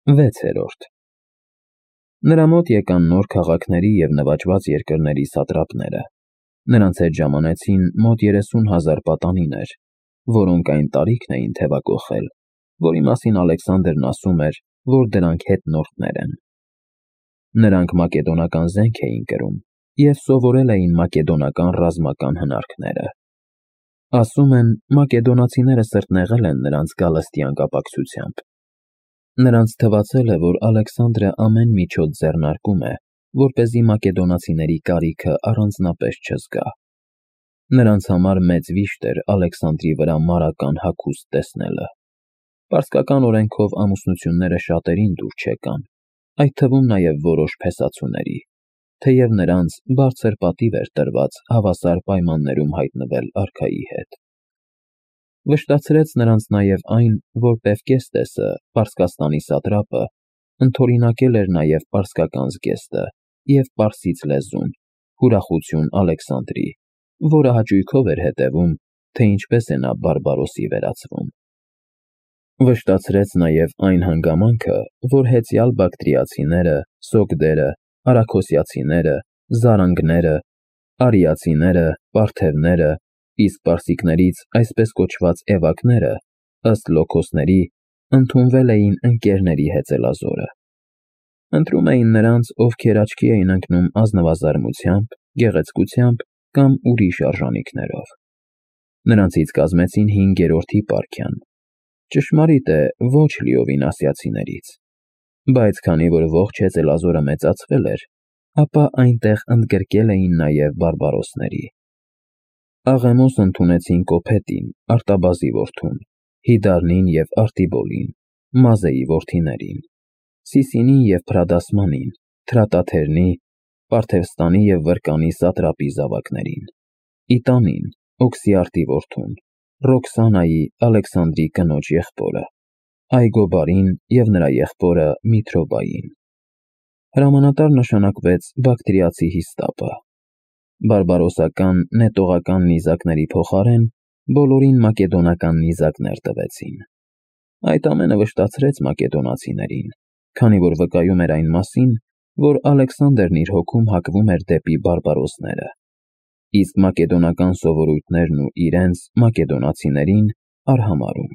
6-րդ Նրա մոտ եկան նոր քաղաքների և նվաճված երկրների սատրապները, նրանց հետ ժամանեցին մոտ 30,000 պատանիներ, որոնք այն տարիքն էին թևակոխել, որի մասին Ալեքսանդրն ասում էր, որ դրանք հետնորդներ են։ Նրանք մակեդոնական զենք էին կրում և սովորել էին մակեդոնական ռազմական հնարքները։ Ասում են, մակեդոնացիները սրտնեղել են նրանց գալստյան կապակցությամբ։ Նրանց թվացել է, որ Ալեքսանդրը ամեն միջոց ձեռնարկում է, որպեսզի մակեդոնացիների կարիքը առանձնապես չզգա։ Նրանց համար մեծ վիշտ էր Ալեքսանդրի վրա մարական հագուստ տեսնելը։ Պարսկական օրենքով ամուսնությունները շատերին դուր չեկան, այդ թվում նաև որոշ փեսացուների, թեև նրանց բարձր պատիվ էր տրված հավասար պայմաններում հայտնվել արքայի հետ։ Վշտացրեց նրանց նաև այն, որ Պևկեստեսը, Պարսկաստանի սատրապը, ընդօրինակել էր նաև պարսկական զգեստը և պարսից լեզուն, ուրախություն Ալեքսանդրի, որը հաճույքով էր հետևում, թե ինչպես է նա բարբարոսի վերածվում։ Վշտացրեց նաև այն հանգամանքը, որ հեծյալ բակտրիացիները, սոգդերը, արաքոսիացիները, զարանգները, արիացիները, պարթևները, իսկ պարսիկներից այսպես կոչված էվակները, ըստ Լոքոսների, ընդունվել էին ընկերների հեծելազորը։ Ընտրում էին նրանց, ովքեր աչքի էին ընկնում ազնվազարմությամբ, գեղեցկությամբ կամ ուրիշ արժանիքներով։ Նրանցից կազմեցին 5-րդ հիպարքիան, ճշմարիտ է, ոչ լիովին ասիացիներից, բայց քանի որ ողջ հեծելազորը մեծացվել էր, ապա այնտեղ ընդգրկել էին նաև բարբարոսների։ Աղեմոս ընդունեցին Կոփետին, Արտաբազի որդուն, Հիդարնին և Արտիբոլին, Մազեի որդիներին, Սիսինին և Փրադասմանին, Թրատաթերնի, Պարթևստանի և Վրկանի սատրապի զավակներին, Իտանին, Օքսիարտի որդուն, Ռոքսանայի, Ալեքսանդրի կնոջ եղբորը, Այգոբարին և նրա եղբորը Միթրոբային։ Հրամանատար նշանակվեց բակտրիացի Հիստապը։ Բարբարոսական, նետողական նիզակների փոխարեն բոլորին մակեդոնական նիզակներ տվեցին։ Այդ ամենը վշտացրեց մակեդոնացիներին, քանի որ վկայում էր այն մասին, որ Ալեքսանդրն իր հոգում հակվում էր դեպի բարբարոսները, իսկ մակեդոնական սովորույթներն ու իրենց՝ մակեդոնացիներին, արհամարհում։